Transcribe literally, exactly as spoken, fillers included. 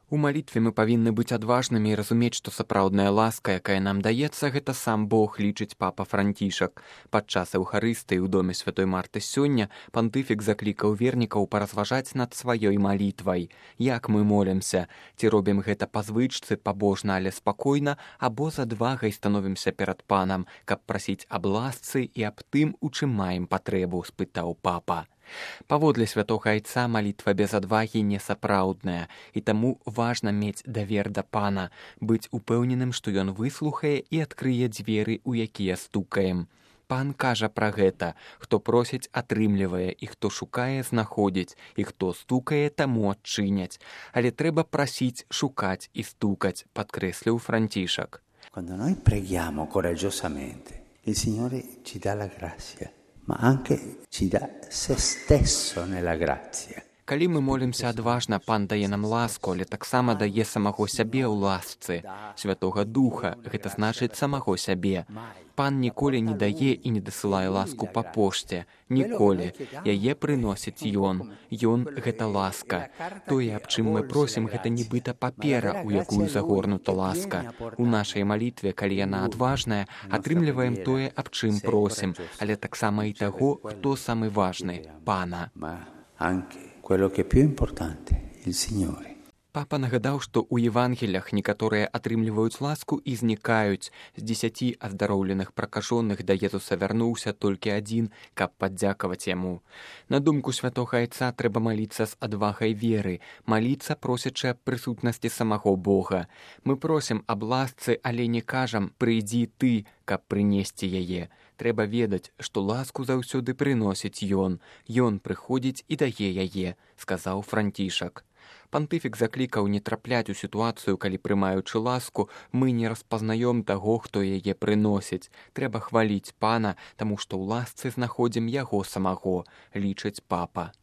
У малітве мы павінны быць адважнымі і разумець, што сапраўдная ласка, якая нам даецца, гэта сам Бог, лічыць папа Францішак. Падчас эўхарыстыі ў доме святой Марты сёння пантыфік заклікаў вернікаў паразважаць над сваёй малітвай. Як мы молімся? Ці робім гэта па звычцы, пабожна, але спакойна, або з адвагай становімся перад панам, каб прасіць аб ласцы і аб тым, у чым маем патрэбу, спытаў папа. Паводле святога айца малітва без адвагі несапраўдная, і таму важна мець давер да пана, быць упэўненым, што ён выслухае і адкрые дзверы, у якія стукаем. Пан кажа пра гэта: хто просіць, атрымлівае, і хто шукае, знаходзіць, і хто стукае, таму адчыняць. Але трэба прасіць, шукаць і стукаць, падкрэсліў Францішак. Quando noi preghiamo coraggiosamente, il Signore ci dà la grazia, ma anche ci dà se stesso nella grazia. Калі мы молімся адважна, пан дае нам ласку, але таксама дае самого сябе ў ласцы. Святога Духа, гэта значыць самого сябе. Пан ніколі не дае і не дасылае ласку па пошце. Ніколі. Яе прыносіць ён. Ён — гэта ласка. Тое, аб чым мы просім, гэта нібыта папера, у якую загорнута ласка. У нашай малітве, калі яна адважная, атрымліваем тое, аб чым просім, але таксама і таго, хто самы важны — пана. Quello che è più importante, il Signore. Папа нагадаў, што ў Евангелях некаторыя атрымліваюць ласку і знікаюць. З дзесяці аздароўленых пракажоных да Езуса вярнуўся толькі адзін, каб падзякаваць яму. На думку святога айца, трэба маліцца з адвагай веры, маліцца, просячы аб прысутнасці самого Бога. Мы просім аб ласцы, але не кажам: «Прыйдзі ты», каб прынесці яе. Трэба ведаць, што ласку заўсёды прыносіць ён. Ён прыходзіць і дае яе, сказаў Францішак. Пантыфік заклікаў не трапляць у сітуацыю, калі, прымаючы ласку, мы не распазнаём таго, хто яе прыносіць. Трэба хваліць пана, таму што ў ласцы знаходзім яго самаго, лічыць папа.